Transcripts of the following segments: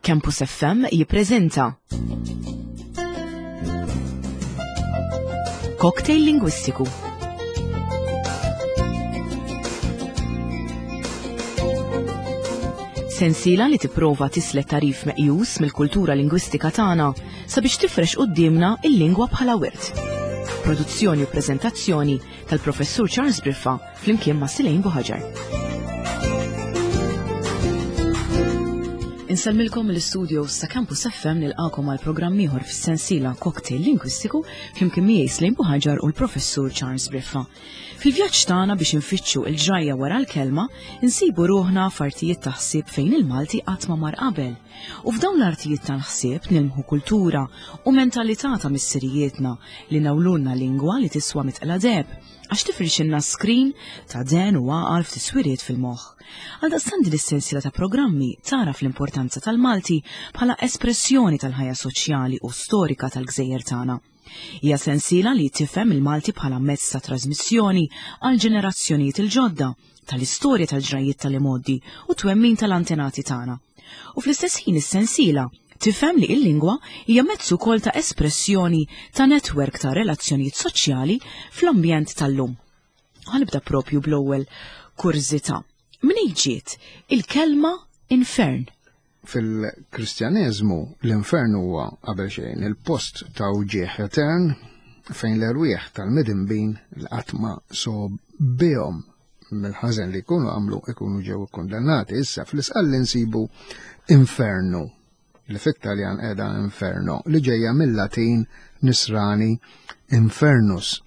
Campus FM jippreżenta Cocktail Lingwistiku. Sensiela li tipprova tislet tarif meqjus mill-kultura lingwistika tagħna sabiex tifrex quddiemna il-lingwa bħala wirt. Produzzjoni u preżentazzjoni tal-Professur Charles Briffa flimkien ma' Silejn Buħaġar. Insellmilkom mill-istudios ta' Campus FM nilqakom għal programm ieħor fis-sensiela Cocktail Lingwistiku flimkien miegħi Slejn Buħaġar u l-Professur Charles Briffa. Fil-vjaġġ tagħna biex infittxu il-ġrajja wara l-kelma, insibu ruħna f'artijiet ta' ħsieb fejn il-Malti qatt ma mar qabel. U f'dawn l-artijiet tal-ħsieb nilmħu kultura u mentalità ta' missirijietna li nawlulna lingwa li tiswa mitqla deheb għax tifrixilna skrin ta' den u għaqal f'tiswiriet fil-moħħ. Għaldaqstant din is-sensiela ta' programmi tagħraf l-importanza tal-Malti bħala espressjoni tal-ħajja soċjali u storika tal-gżejjer tagħna. Hija sensiela li tifhem il-Malti bħala mezz ta' trasmissjoni għal ġenerazzjonijiet il-ġodda tal-istorja tal-ġrajjiet tal-imgħoddi u twemmin tal-antenati tagħna. U fl-istess ħin is-sensiela tifhem li il-lingwa hija mezz ukoll ta' espressjoni ta' netwerk ta' relazzjonijiet soċjali fl-ambjent tal-lum. Ħanibda propju bl-ewwel kurżità. Minn ġiet il-kelma infern? Fil-Kristjaneżmu l-infern huwa qabel xejn il-post ta' wġieħ etern fejn l-erwieħ tal-midinbin li qatt ma sob bihom mill-ħażen li jkunu għamlu ikunu ġew ikkundannati. Issa fl-isqalli nsibu infernu li fit-Taljan qiegħda inferno li ġejja mill-Latin nisrani infernus.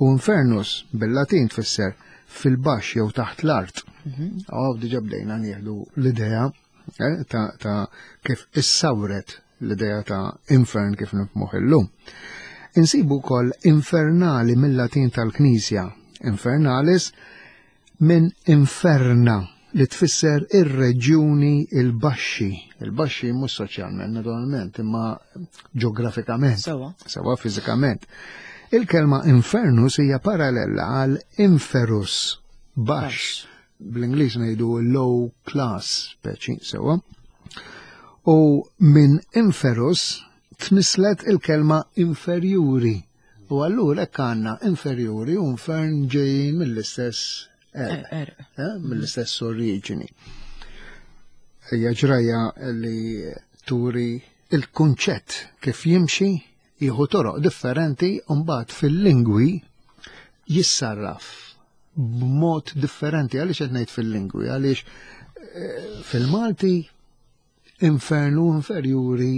U infernus bil-Latin tfisser fil-baxx jew taħt l-art. Mhm. Oh, diġa bdejna nieħdu l-idea eh, ta', ta kif issawret l-idea ta' infern kif nifmuh illum. Insibu wkoll infernali mill-Latin tal-Knisja, infernalis minn inferna li tfisser ir-reġjuni il-baxxi. Il-baxxi mhux soċjalment, naturalment, imma ġeografikament. Sewa. Sewa fiżikament. Il-kelma infernus hija paralella għal inferus, baxx. Bl-Ingliż ngħidu low class speċi, sewa. U minn inferus tnislet il-kelma inferjuri. U allura hekk għandna inferjuri u infern ġejjin mill-istess er, er. Eh, mill-istess oriġini. Hija ġrajja li turi il-kunċett kif jimxi jieħu toroq differenti u mbagħad fil-lingwi jissarraf b'mod differenti għaliex qed ngħid fil-lingwi għaliex eh, fil-Malti infernu inferjuri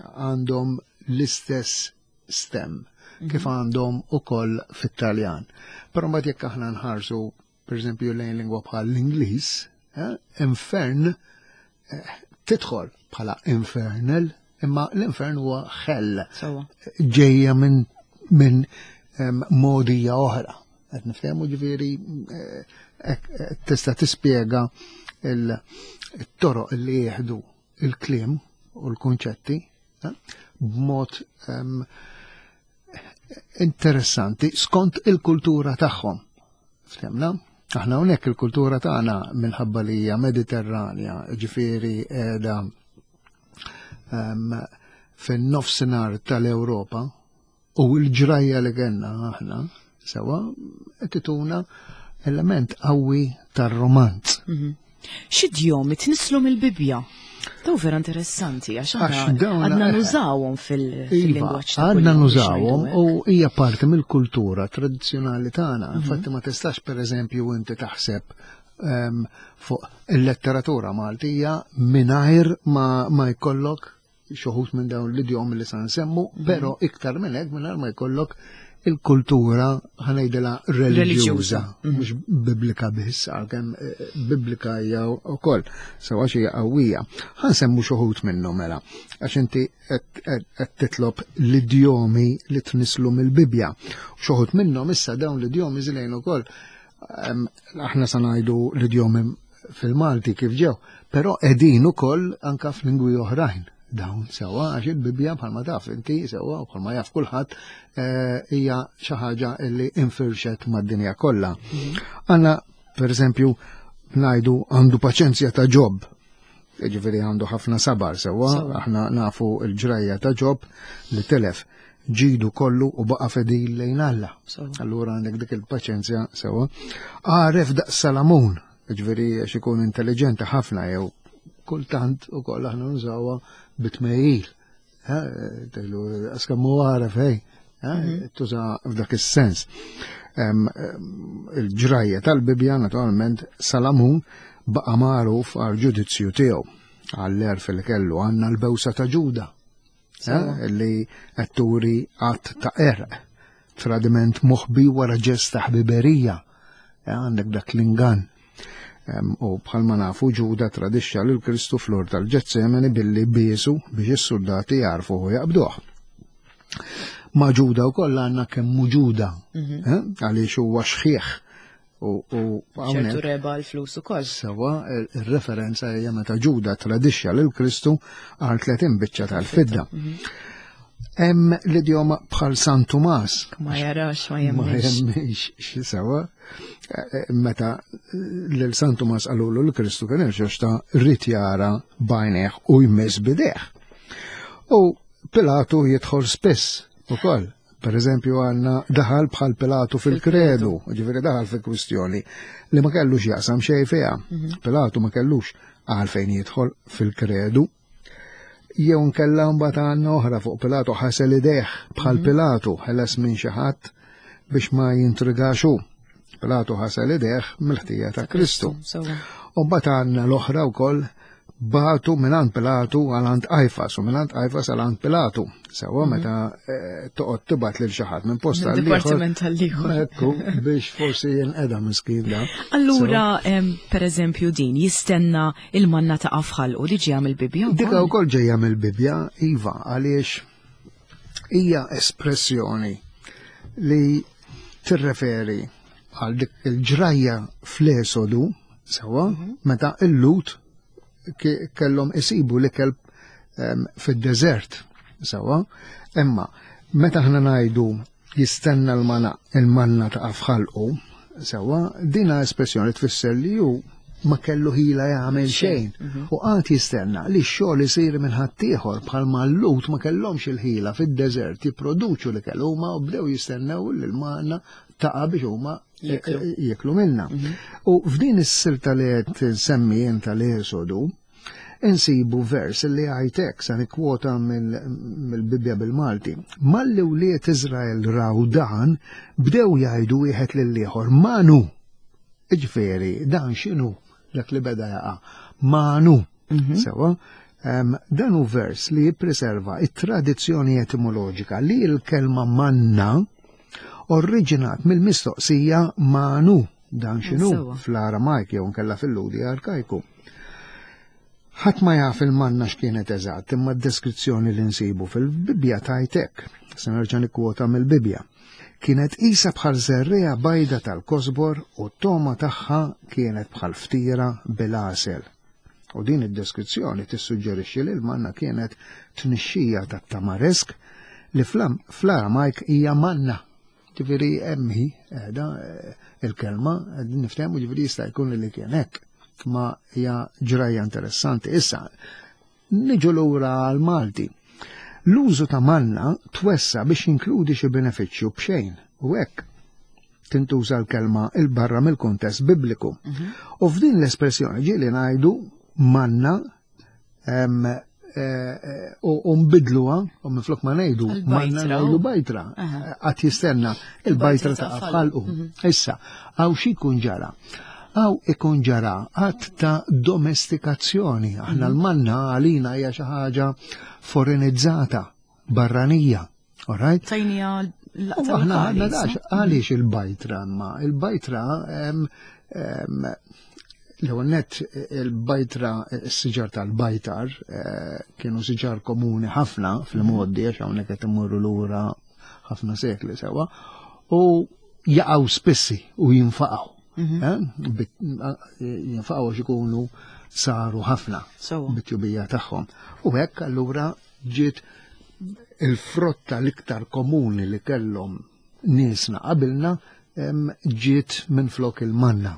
għandhom l-istess stem mhm. kif għandhom ukoll fit-Taljan. Però mbagħad jekk aħna nħarsu pereżempju lejn lingwa bħal l-Ingliż, eh, infern eh, tidħol bħala infernal, imma l-infern huwa ħell. Ġejja minn min modija oħra. Qed niftehmu ġifieri eh, tista' tispjega il-toroq li jieħdu il-kliem u l-kunċetti eh, b'mod interessanti skont il-kultura tagħhom. Ftemna? Aħna hawnhekk il-kultura tagħna minħabba li hija Mediterranja, ġifieri qiegħda fin-nofsinhar tal-Ewropa, U l-ġrajja li kellna aħna, sewa, qed ituna element qawwi tar-romanz. Mhm. X'idjomi tnislu mill-Bibbja? Daw vera interessanti, għax għadna nużawhom fil-lingwaġġ. Iva, għadna nużawhom u hija parti mill-kultura tradizzjonali tagħna. Mhm. Infatti ma tistax pereżempju inti taħseb ehm, fuq il-letteratura Maltija mingħajr ma jkollok xoħut minn dawn l-idjomi li sa nsemmu, mhm. però iktar minn hekk mingħajr ma jkollok il-kultura ħanejdilha reliġjuża, mhm. mhux biblika biss, għalkemm eh, biblika hija wkoll, sewa xi qawwija. Ħansemmu xoħut minnhom mela, għax inti qed titlob l-idjomi li tnislu mill-Bibbja. Xoħut minnhom issa dawn l-idjomi żilejn ukoll aħna sa ngħidu l-idjomi fil-Malti kif ġew, però qegħdin ukoll anka f'lingwi oħrajn dawn sewa għax il-Bibbja bħalma taf inti sewa u bħalma jaf kulħadd eh, hija xi ħaġa li infirxet mad-dinja kollha. Mhm. Għandna pereżempju ngħidu għandu paċenzja ta' ġob. Ġifieri għandu ħafna sabar sewwa, aħna nafu l-ġrajja ta' Ġob li telef ġidu kollu u baqa' fedil lejn Alla. Allura għandek dik il-paċenzja sewwa. Għaref daqs Salamun, ġifieri għax ikun intelligenti ħafna jew kultant ukoll aħna nużawha bitmejjil. Tgħidu għaskemm hu għaref hej, tuża f'dak is-sens. Il-ġrajja tal-Bibbja naturalment Salamun baqa' magħruf għal ġudizzju tiegħu għall-għerf li kellu għandna l-bewsa ta' Ġuda li qed turi att ta' qerq, tradiment moħbi wara ġest ta' ħbiberija, għandek dak l-ingann. U bħalma nafu Ġuda tradixxa lil Kristu flor tal-Ġetsemani billi biesu biex is-soldati jarfu u jaqbduh. Ma' Ġuda wkoll għandna kemm Ġuda, għaliex huwa xħieħ u ċertu reba l-flus ukoll. Sewa, ir-referenza hija meta Ġuda tradixxa lil Kristu għal 30 biċċa tal-fidda. Hemm l-idjoma bħal San Tumas. Ma jarax, ma jemminx. Ma jemminx xi sewa. Meta lil San Tumas qalulu l Kristu kien irxoxta rrid jara b'għajnejh u jmiss bidejh. U Pilatu jidħol spiss ukoll. Per eżempju għandna daħal bħal Pilatu fil-kredu, ġifieri daħal fil-kwistjoni li ma kellux jaqsam xejn fiha. Pilatu ma kellux għalfejn jidħol fil-kredu. Jew nkella mbagħad għandna oħra fuq Pilatu ħasel idejh bħal Pilatu ħeles minn xi ħadd biex ma jintrigax hu. Pilatu ħasel idejh mill-ħtija ta' Kristu. U mbagħad għandna l-oħra wkoll bagħtu mingħand Pilatu għal għand Qajfas u mingħand Qajfas għal għand Pilatu. Sewwa meta toqgħod tibgħat lil xi ħadd minn post għal ieħor. Dipartiment għal ieħor. Ekku, biex forsi jinqeda miskin da. Allura, per eżempju din jistenna il-manna ta' f'ħalqu li ġejja mill-Bibbja wkoll? Dika wkoll ġejja mill-Bibbja, iva, għaliex hija espressjoni li tirreferi għal dik il-ġrajja fl-Esodu, sewwa, meta il-Lut kellhom isibu l-ikel fid-deżert, sewwa, imma meta aħna ngħidu jistenna l-manna ta' f'ħalqu, sewwa, dina espressjoni tfisser li hu ma kellu ħila jagħmel xejn. U qagħad jistenna li x-xogħol isir minn ħaddieħor bħalma l-Lut ma kellhomx il-ħila fid-deżert jipproduċu l-ikel huma u bdew jistennew li l-manna taqa' biex huma jieklu minna. U f'din is-silta li qed nsemmi jien tal-Esodu, insibu vers li għajtek sa nikkwota mill-Bibbja bil-Malti. Malli wlied Iżrael raw dan, bdew jgħidu wieħed lill-ieħor, Manu! Iġifieri, dan x'inhu dak li beda jaqa'? Manu. Sewa, dan hu vers li jippreserva it-tradizzjoni etimoloġika li l-kelma manna oriġinat mill-mistoqsija manu, dan x'inhu fl-Aramajk jew nkella fil-Ludi arkajku. Ħadd ma jaf il-manna x'kienet eżatt, imma d-deskrizzjoni li nsibu fil-Bibbja tgħid hekk. Se nerġa' nikkwota mill-Bibbja. Kienet qisha bħal żerriegħa bajda tal-kosbor u t-togħma tagħha kienet bħal ftira bil-għasel. U din id-deskrizzjoni tissuġġerixxi li l-manna kienet tnixxija tat-tamaresk li fl-Aramajk hija manna. Ġifieri hemm hi qiegħda il-kelma, qegħdin niftehmu ġifieri jista' jkun li kien hekk. Ma hija ġrajja interessanti. Issa, niġu lura għal-Malti. L-użu ta' manna twessa biex jinkludi xi benefiċċju b'xejn u hekk tintuża l-kelma il-barra mill-kuntest bibliku. U f'din l-espressjoni ġieli ngħidu manna u nbidluha u minflok ma ngħidu manna ngħidu bajtra. Qatt jistenna il-bajtra ta' f'ħalqu. Issa, hawn xi jkun ġara? Hawn ikun ġara att ta' domestikazzjoni. Aħna l-manna għalina hija xi ħaġa forenizzata, barranija. All right? Tajnija l-laqta U aħna lokali, għandna dax, sa? għaliex il-bajtra ma? Il-bajtra, l-ewwel nett il-bajtra, is-siġar tal-bajtar, kienu siġar komuni ħafna fil-modi, għax hawnhekk qed imorru lura ħafna sekli sewa, u jaqgħu spissi u jinfaqgħu. Jinfaqgħu għax ikunu saru ħafna bit-tjubija tagħhom. U hekk allura ġiet il-frotta l-iktar komuni li kellhom niesna qabilna, ġiet minn flok il-manna.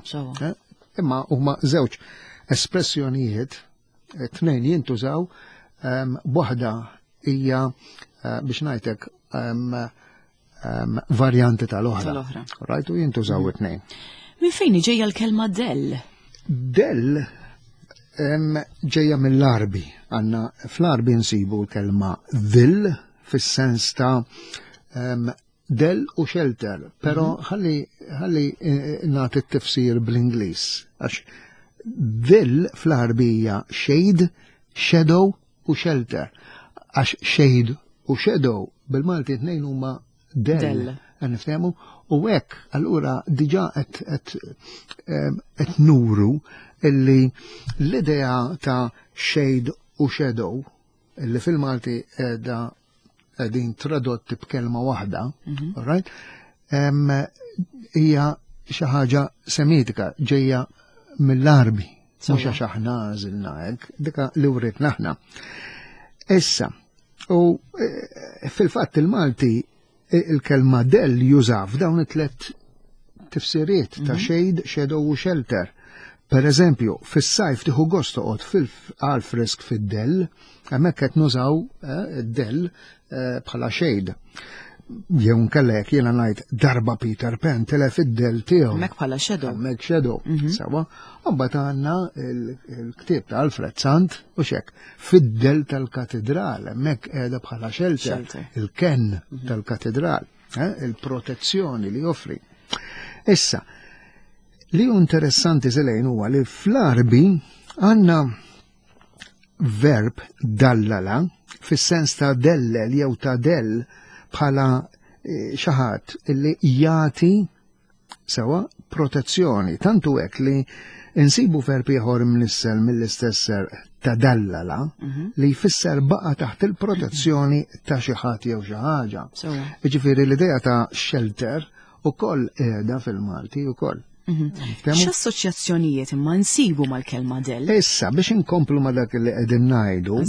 Imma huma żewġ espressjonijiet Tnejn jintużaw, waħda hija eh, biex ngħidlek varjanti tal-oħra. Tal-oħra. Right, u jintużaw it-tnejn. Minn fejn ġejja l-kelma dell? Dell ġejja mill-Arbi. Għanna fl-Arbi nsibu l-kelma dhill fis-sens ta' dell u shelter, pero mhm. ħalli ħalli eh, nagħti t-tifsir bl-Ingliż għax dhill fl-Arbija shade, shadow u shelter. Għax shade u shadow bil-Malti tnejn huma dell. Niftehmu u hekk allura diġà qed nuru illi l-idea ta' shade u shadow illi fil-Malti qiegħda qegħdin tradotti b'kelma waħda, mhm. right? Hija xi ħaġa semitika ġejja mill-Arbi, mhux għax aħna għażilna hekk, dika li writna aħna. Issa, u e, fil-fatt il-Malti e, il-kelma del juża f'dawn it-tlet tifsiriet ta' mhm. shade, shadow u shelter. Per eżempju, fis-sajf tieħu gost toqgħod fil frisk fid-dell, hemmhekk qed nużaw eh, id-dell eh, bħala shade. Jew nkella jekk jiena ngħid darba Peter Pan tilef id-dell tiegħu. Hemmhekk bħala shadow. Hemmhekk shadow. Mhm. Sawa. Mbagħad għandna il-ktieb ta' Alfred Sant u xek fid-dell tal-katedral, hemmhekk qiegħda bħala shelter, il-ken mhm. tal-katedral, eh, il-protezzjoni li joffri. Issa, Li hu interessanti Selejn huwa li fl-Għarbi għandna verb dallala fis-sens ta' dellel jew ta' dell bħala eh, xi ħadd illi jagħti sewa protezzjoni. Tantu hekk li insibu verb ieħor mnissel mill-istess serq ta' dallala mhm. li jfisser baqa taħt il-protezzjoni ta' xi ħadd jew xi ħaġa. Jiġifieri l-idea ta' shelter ukoll qiegħda fil-Malti ukoll. Mhm. X'assoċjazzjonijiet imma nsibu mal-kelma del? Issa biex inkomplu ma dak li qegħdin ngħidu.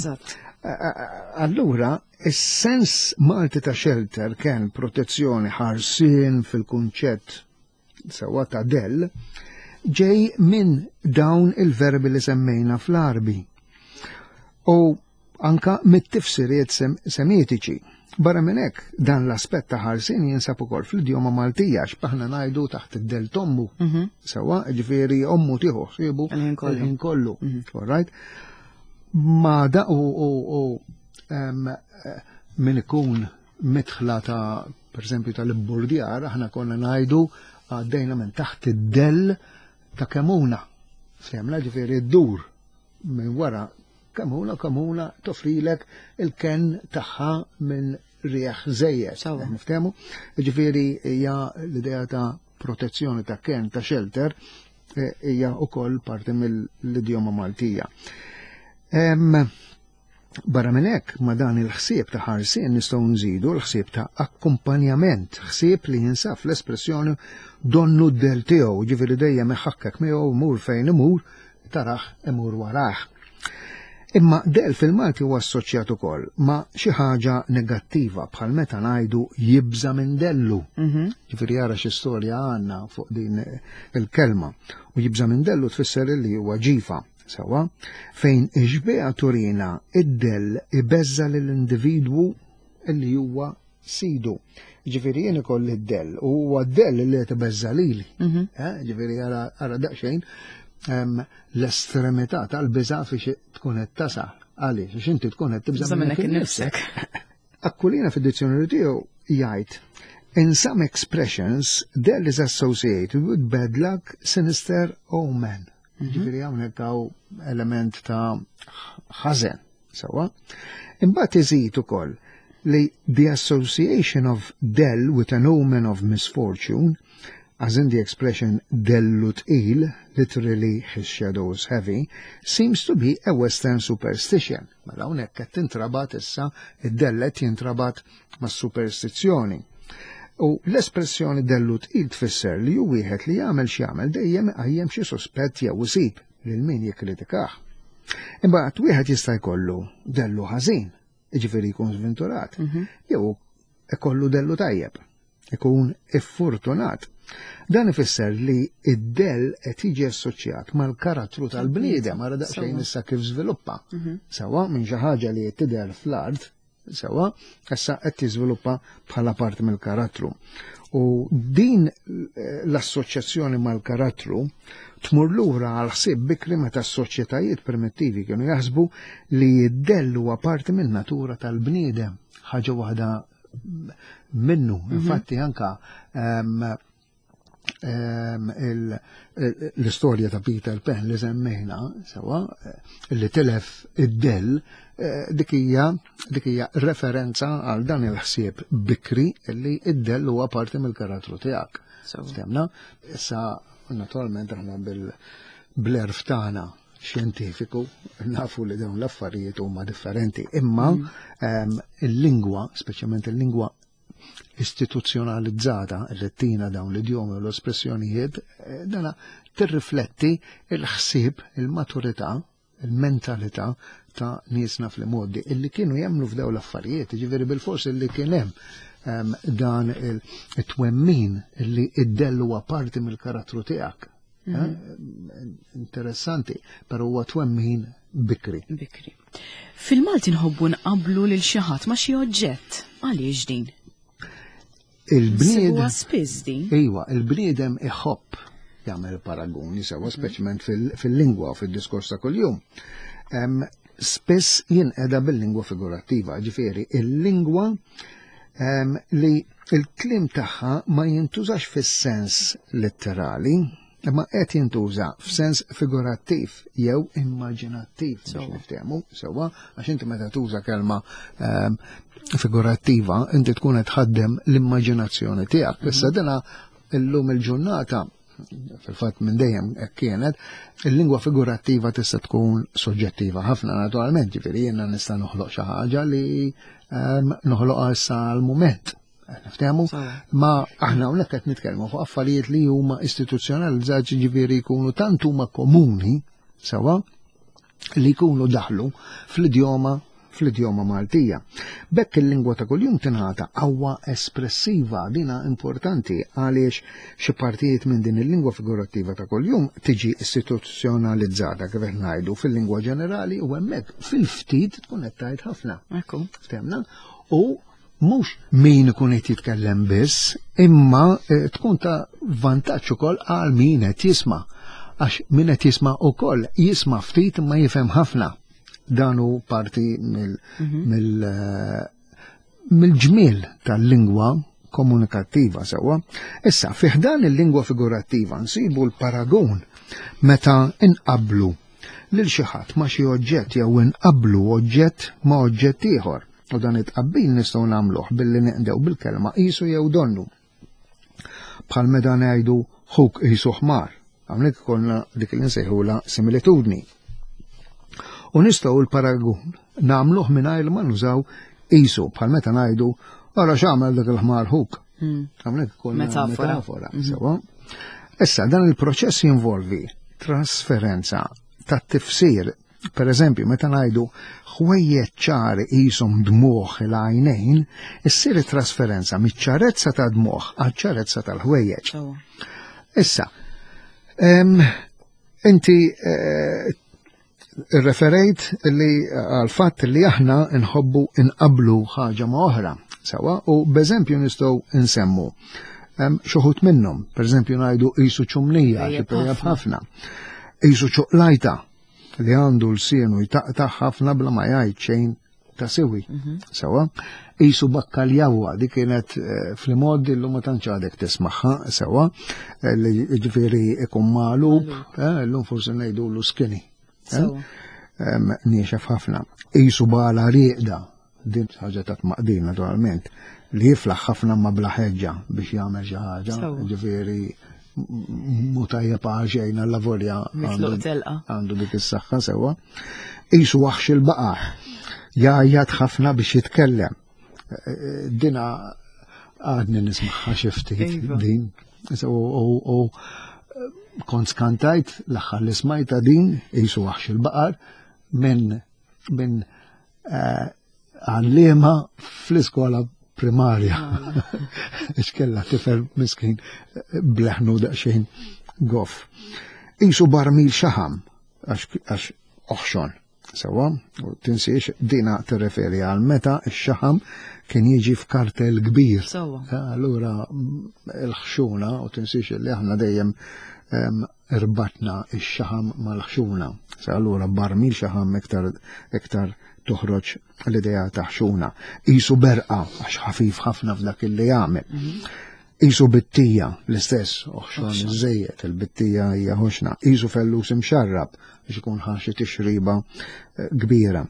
Allura, is-sens Malti ta' shelter kien protezzjoni ħarsien fil-kunċett sewwa ta' del ġej minn dawn il-verbi li semmejna fl-Arbi. U anka mit-tifsiriet semitiċi. Barra minn hekk, dan l-aspett ta' ħarsien jinsab ukoll fl-idjoma Maltija għax aħna ngħidu taħt id-del tommu. Mhm. Sewwa, ġifieri ommu tieħu ħsiebu il-ħin kollu. Mhm. All right? Ma da u min ikun mitħla ta' per eżempju tal-ibburdjar, aħna konna ngħidu għaddejna minn taħt id-del ta' kemuna. Semla ġifieri d-dur minn wara Kamuna kamuna toffrilek il-kenn tagħha minn rieħ żejjed. Niftehmu? Ġifieri hija l-idea ta' protezzjoni ta' kenn ta' shelter eh, hija wkoll parti mill-idjoma Maltija. Barra minn hekk, ma dan il-ħsieb ta' ħarsien nistgħu nżidu l-ħsieb ta' akkumpanjament, ħsieb li jinsab fl-espressjoni donnu d-del tiegħu, ġifieri dejjem iħakkek miegħu mur fejn imur, tarah imur warah. Imma del fil-Malti huwa assoċjat ukoll ma' xi ħaġa negattiva bħal meta ngħidu jibża' minn dellu. Mhm. Ġifieri jara xi storja għandna fuq din il-kelma. U jibża' minn dellu tfisser li huwa ġifa. Sewwa, fejn ix-xbieha turina id-dell ibeżża' lill-individwu li huwa sidu. Ġifieri jien ikolli d-dell u huwa d-dell li qed ibeżża' lili. Mhm. Eh, ġifieri ara daqsxejn l-estremità tal-biża' fiex tkun qed tasal. Għaliex, għax inti tkun qed tibża' minnek innifsek. Akkulina fid-dizzjonarju tiegħu jgħid In some expressions, del is associated with bad luck, sinister omen. Mhm. Ġifieri hawnhekk hawn element ta' ħażen. Sewwa. Imbagħad iżid ukoll li the association of del with an omen of misfortune, as in the expression dellu tqil, literally his shadow is heavy, seems to be a western superstition. Mela hawnhekk qed tintrabat issa id-dellet jintrabat mas-superstizzjoni. U l-espressjoni dellu tqil tfisser li hu wieħed li jagħmel x'jagħmel dejjem iqajjem xi suspett jew isib lil min jikkritikah. Imbagħad wieħed jista' jkollu dellu ħażin, jiġifieri jkun żventurat, mhm. jew ikollu dellu tajjeb, ikun iffurtunat. Dan ifisser li id-dell qed jiġi assoċjat mal-karattru tal-bniedem ara daqsxejn issa kif żviluppa. Mhm. Sewa minn xi ħaġa li qed tidher fl-art, sewa, issa qed tiżviluppa bħala parti mill-karattru. U din eh, l-assoċjazzjoni mal-karattru tmur lura għal ħsieb bikri meta s-soċjetajiet primittivi kienu jaħsbu li id-dell huwa parti min-natura tal-bniedem, ħaġa waħda minnu. Mhm. Infatti anka l-istorja ta' Peter Pan li semmejna, sewa, li tilef id-dell, eh, dik hija referenza għal dan il-ħsieb bikri li id-dell huwa parti mill-karattru tiegħek. Stemna, issa naturalment aħna bil-blerf tagħna xjentifiku nafu li dawn l-affarijiet huma differenti, imma mm. ehm, il-lingwa, speċjalment il-lingwa istituzzjonalizzata li tina dawn l-idjomi u l-espressjonijiet, eh, dana tirrifletti il-ħsieb, il-maturità, il-mentalità ta' niesna fl-modi illi kienu jemnu f'daw l-affarijiet, ġifieri bil-fors illi kien hemm ehm, dan il-twemmin illi id-dellu huwa parti mill-karattru tiegħek. Eh, mhm. Interessanti, però huwa twemmin bikri. Bikri. Fil-Malti nħobbu nqablu lil xi ħadd ma' xi oġġett. Għaliex din? Il-bniedem. spiss din. Iwa, il-bniedem iħobb jagħmel paraguni sewa mhm. speċjalment fil-lingwa u fid-diskors ta' kuljum. Spiss jinqeda bil-lingwa figurattiva, ġifieri il-lingwa li il-kliem tagħha ma jintużax fis-sens letterali, imma qed jintuża f'sens figurattiv jew immaġinattiv biex niftehmu sewwa għax inti meta tuża kelma ehm, figurattiva inti tkun qed tħaddem l-immaġinazzjoni tiegħek. Issa mhm. dina illum il-ġurnata fil-fatt minn dejjem hekk kienet, il-lingwa figurattiva tista' tkun soġġettiva ħafna naturalment, ġifieri jiena nista' noħloq xi ħaġa li ehm, noħloqha issa għal-mument. Niftehmu, ma aħna hawnhekk qed nitkellmu fuq affarijiet li huma istituzzjonalizzati ġifieri jkunu tant huma komuni sewa li jkunu daħlu fl-idjoma fl-idjoma Maltija. Bekk il-lingwa ta' kuljum tingħata qawwa espressiva dina importanti għaliex xi partijiet minn din il-lingwa figurattiva ta' kuljum tiġi istituzzjonalizzata kif qed ngħidu fil-lingwa ġenerali u hemmhekk fil-ftit tkun qed tgħid ħafna. Ekku. Ftemna? U mhux min ikun qed jitkellem biss, imma eh, tkun ta' vantaġġ ukoll għal min qed jisma'. Għax min qed jisma' ukoll jisma' ftit imma jifhem ħafna. Dan hu parti mhm. eh, mill-ġmiel tal-lingwa komunikattiva sewwa. Issa, fih dan il-lingwa figurattiva nsibu l-paragun meta inqablu lil xi ħadd ma' xi oġġett jew inqablu oġġett ma' oġġett ieħor. U dan it-tqabbil nistgħu nagħmluh billi neqdew bil-kelma qisu jew donnu. Bħal meta ngħidu ħuk qisu ħmar, hawnhekk ikollna dik li nsejħula similitudni. U nistgħu l-paragun nagħmluh mingħajr ma nużaw qisu bħal meta ngħidu ara x'għamel dak il-ħmar ħuk. Hmm. Hawnhekk ikollna metafora. Mhm. Sewa. Issa dan il-proċess jinvolvi trasferenza tat-tifsir Per eżempju, meta ngħidu ħwejjeġ ċari qishom dmugħ il-għajnejn, issir it-trasferenza miċ-ċarezza ta' dmugħ għaċ-ċarezza tal-ħwejjeġ. Issa, inti eh, referejt li għal fatt li aħna nħobbu inqablu ħaġa ma' oħra, sewa, u b'eżempju nistgħu nsemmu xuħut minnhom, per eżempju ngħidu qisu ċumnija, xi ħafna, qisu ċuqlajta, li għandu l-sienu jtaqta' ħafna bla ma jgħid xejn ta' siwi. Mhm. Sewa, jisu bakkaljawa, di kienet eh, fl-mod illum ma tantx għadek tismaħħa, sewa, eh, li ġifieri ikun magħlub, eh, illum forsi ngħidu l skinny. Niexef ħafna. Jisu bala rieqda, Din ħaġa ta' tmaqdin naturalment li jiflaħ ħafna ma bla ħeġġa biex jagħmel xi ħaġa, ġifieri mu tajjeb għal xejn għal lavorja għandu dik is-saħħa sewwa. Isu waħx il-baqar, jgħajjat ħafna biex jitkellem. Dina għadni nismaħħa xi ftit iva. din. U kont skantajt l-aħħar li smajta din, isu waħx il-baqar, minn minn eh, għallima fl-iskola primarja. X'kella tifel miskin bleħnu daqsxejn goff. Isu barmil xaħam għax oħxon. Sewa, u tinsiex dina tirreferi għal meta x-xaħam kien jiġi f'kartel kbir. Sewa. Allura l-ħxuna, u tinsiex li aħna dejjem irbatna x-xaħam mal-ħxuna. Sa allura barmil xaħam iktar iktar toħroġ l-idea ta' ħxuna. Isu berqa, għax ħafif ħafna f'dak li jagħmel. Isu bittija, l-istess, oħxon iżejjed, il-bittija hija ħoxna. Isu fellus imxarrab, biex ikun ħaxi tixriba eh, kbira.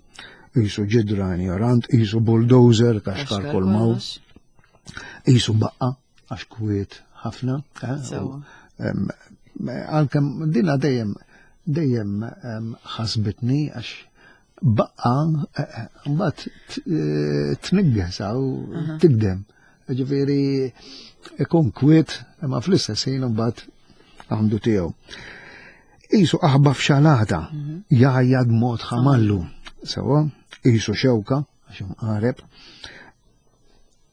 Isu ġidra ignorant, isu bulldozer, kaxkar kull maw. Isu baqqa, għax kwiet ħafna. Eh, għalkemm dina dejjem dejjem ħasbitni għax baqqa eh, eh, mbagħad tnigges u tigdem. Ġifieri ikun kwiet imma fl-istess ħin mbagħad għandu tiegħu. Isu aħba f'xalata, mhm. jgħajjad mod ħamallu. Sewa, isu xewka, għax imqareb,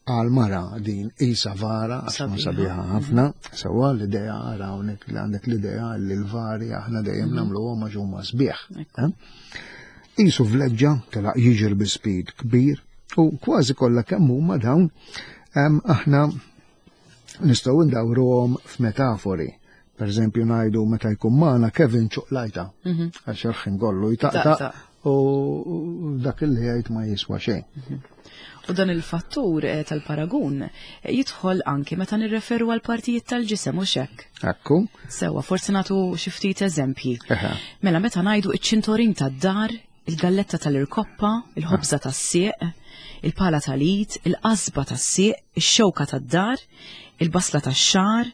għal mara din isa vara, għax ma sabiħa ħafna, sewa l-idea għara hawnhekk li għandek l-idea li l-vari aħna dejjem mhm. nagħmluhom għax huma sbieħ. Eh? Isu vleġġa telaq jiġri bi speed kbir u kważi kollha kemm huma dawn aħna nistgħu ndawruhom f'metafori. Per eżempju ngħidu meta jkun magħna Kevin ċuqlajta mhm. għax il-ħin kollu jtaqtaq u dak li jgħid ma jiswa xejn. Mhm. U dan il-fattur eh, tal-paragun eh, jidħol anki meta nirreferu għal partijiet tal-ġisem u xekk. Ekku. Sewa, forsi nagħtu xi ftit eżempji. Mela meta ngħidu iċ-ċintorin tad-dar, il-galletta tal-irkoppa, il-ħobża tas-sieq, il-pala tal-id, il-qasba tas-sieq, ix-xewka tad-dar, il-basla tax-xagħar,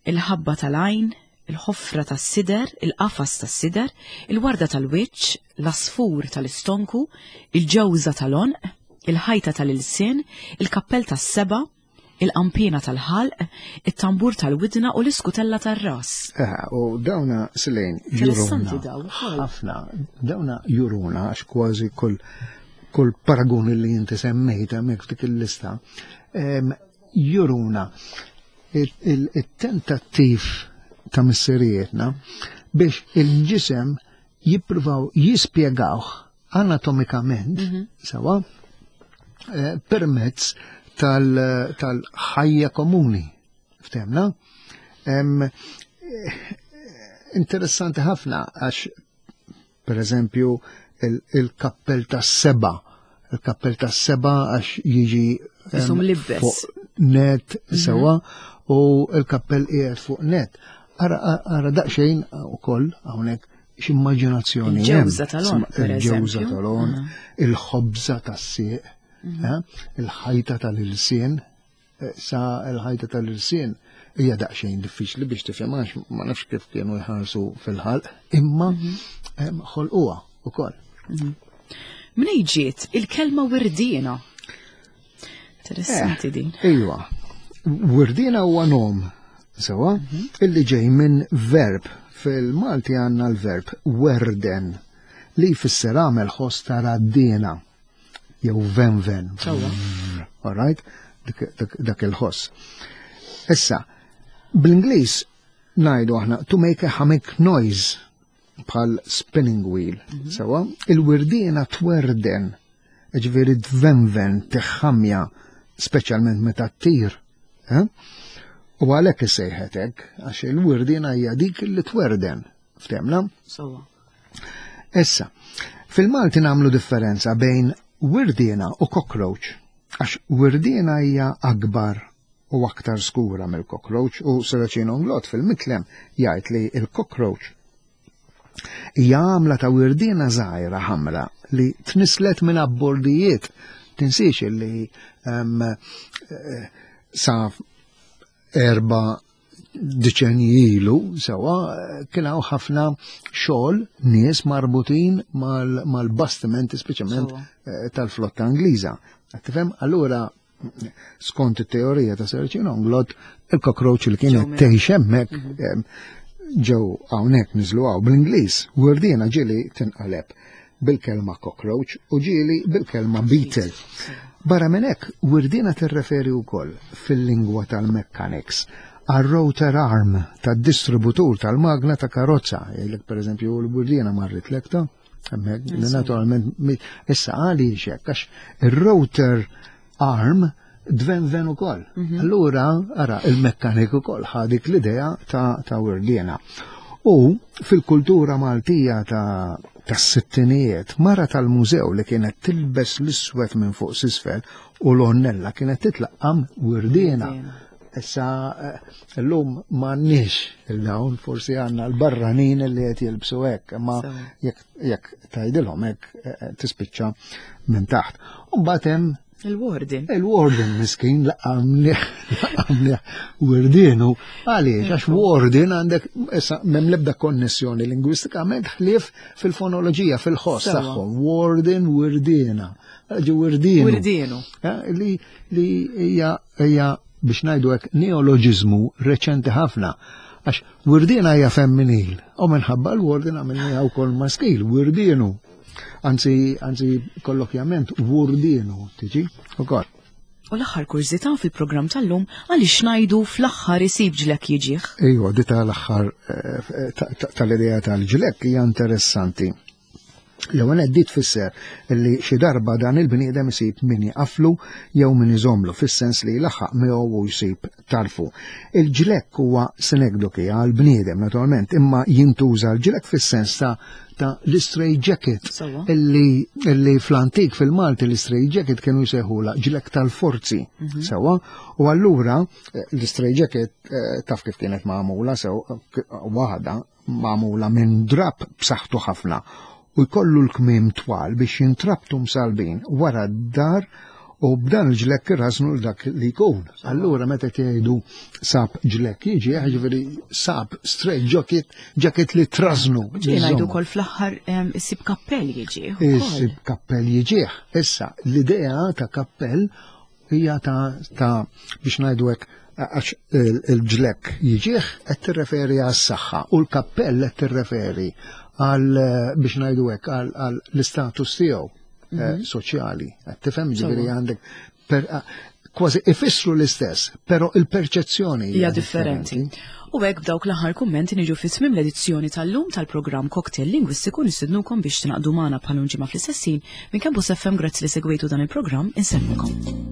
il-ħabba tal-għajn, il-ħofra tas-sider, il-qafas tas-sider, il-warda tal-wiċċ, l-għasfur tal-istonku, il-ġewża tal-għonq, il-ħajta tal-ilsien, il-kappell tas-seba', il-qanpiena tal-ħalq, it-tambur tal-widna u l-iskutella tar-ras. Eh, u dawna silejn Interessanti daw. Ħafna, dawna juruna għax kważi kull kull paragun li jinti semmejt hemmhekk f'dik il-lista, juruna il-tentattiv ta' missirijietna biex il-ġisem jippruvaw jispjegawh anatomikament, mhm. sewa, eh, permezz tal-ħajja komuni. Ftemna? Eh, interessanti ħafna għax per eżempju il-kappell tas-seba, il-kappell tas-seba għax jiġi fuq net mhm. sewa u il-kappell qiegħed fuq net. Ara daqsxejn ukoll hawnhekk x'immaġinazzjoni. Il-ġewża tal-on. Il-ġewża tal-on, il-ħobża tas-sieq, mhm. eh, il-ħajta tal-ilsien, eh, sa l-ħajta tal-ilsien hija daqsxejn diffiċli biex tifhem għax ma nafx kif kienu jħarsu fil-ħalq, imma mhm. ħolquha ukoll. Mhm. Mnej ġiet il-kelma wirdiena? Interessanti eh, din. Iva, wirdiena huwa nom, sewa, mhm. illi ġej minn verb. Fil-Malti għandna l-verb werden li jfisser għamel ħoss ta' raddiena jew venven. All right? Dak il-ħoss. Issa, bl-Ingliż ngħidu aħna to make a humming noise bħal spinning wheel. Mhm. Sewa, il-wirdiena twerden, ġifieri tvenven, tiħħamja, speċjalment meta ttir. Eh? U għalhekk issejħet hekk, għax il-wirdiena hija dik li twerden. Ftemna? Sewa. Issa, fil-Malti nagħmlu differenza bejn wirdiena u cockroach, għax wirdiena hija akbar u aktar skura mill-cockroach u Seracino Nglot fil-mitlem jgħid li il-cockroach hija għamla ta' wirdiena żgħira ħamra li tnislet minn abbordijiet. Tinsiex li um, sa erba deċenji ilu sewa kien hawn ħafna xogħol nies marbutin mal-bastimenti speċjalment eh, tal-flotta Ingliża. Tifhem? Allura skont it-teorija ta' Sir Onglot, il-cockroach li kienet tgħix hemmhekk mhm. ġew hawnhekk niżlu hawn bl-Ingliż, werdina ġieli tinqaleb bil-kelma cockroach u ġieli bil-kelma beetle. Barra minn hekk, wirdiena tirreferi wkoll fil-lingwa tal-mechanics għar-rotor arm tad-distributur tal-magna ta' karozza. Jgħidlek pereżempju l-wirdiena marritlek ta' hemmhekk, naturalment issa għaliex hekk għax ir-rotor arm dvenven ukoll. Mhm. Allura, ara, il-mekkanik ukoll ħa dik l-idea ta', ta wirdiena. U fil-kultura Maltija ta' tas-sittinijiet, mara tal-mużew li kienet tilbes l-iswed minn fuq s'isfel u l-onnella kienet titlaqqam wirdiena. Issa eh, llum m'għandniex il-dawn, forsi għandna l-barranin li qed jilbsu hekk, imma jekk tgħidilhom hekk eh, eh, tispiċċa minn taħt. U mbagħad hemm Il-warden. Il-warden miskin laqamni wirdienu. Għaliex, għax warden għandek issa m'hemm l-ebda konnessjoni lingwistikament ħlief fil-fonoloġija, fil-ħoss tagħhom. Warden wirdiena. Ġi wirdienu. Wirdienu. Eh, li li hija hija biex ngħidu hekk neoloġiżmu reċenti ħafna. Għax wirdiena hija femminil, u minħabba l-warden għamilniha wkoll maskil, wirdienu. Anzi, anzi kollokjament wurdienu tiġi ukoll. U l-aħħar kurżità fil-programm tal-lum għaliex ngħidu fl-aħħar isib ġlek jiġih. Ejwa, di tal-aħħar eh, tal-idea tal-ġlek hija interessanti. L-ewwel qed tfisser li xi darba dan il-bniedem isib min jaqaflu jew min iżomlu fis-sens li jlaħħaq miegħu u jsib tarfu. Il-ġlekk huwa sinekdoki għal bniedem naturalment, imma jintuża l-ġlekk fis-sens ta' ta' l-straight jacket illi, illi fl-antik fil-Malti l-straight jacket kienu jsejħula ġlekk tal-forzi. Mhm. Sewa, u allura eh, l-straight jacket eh, taf kif kienet magħmula sew waħda magħmula minn drapp b'saħħtu ħafna u jkollu l-kmiem twal biex jintrabtu msalbin wara d-dar u b'dan il-ġlekk irrażnu l dak li jkun. Allura meta tgħidu sab ġlekk jiġi, ġifieri sab straight jacket, jacket li trażnu. Ġieli ngħidu wkoll fl-aħħar issib kappell jiġi. Issib kappell jiġih. Issa, l-idea ta' kappell hija ta' ta' biex ngħidu hekk għax il-ġlekk jiġih qed tirreferi għas-saħħa u l-kappell qed tirreferi għal biex ngħidu hekk għal l-istatus tiegħu eh, mhm. soċjali. Qed tifhem ġifieri għandek kważi ifissru l-istess, però il-perċezzjoni hija differenti. U hekk b'dawk l-aħħar kummenti niġu fi tmiem l-edizzjoni tal-lum tal-programm Cocktail Lingwistiku nistednukom biex tingħaqdu magħna bħal ġimgħa fl-istess ħin minn Campus FM grazzi li segwejtu dan il-programm insellmukom.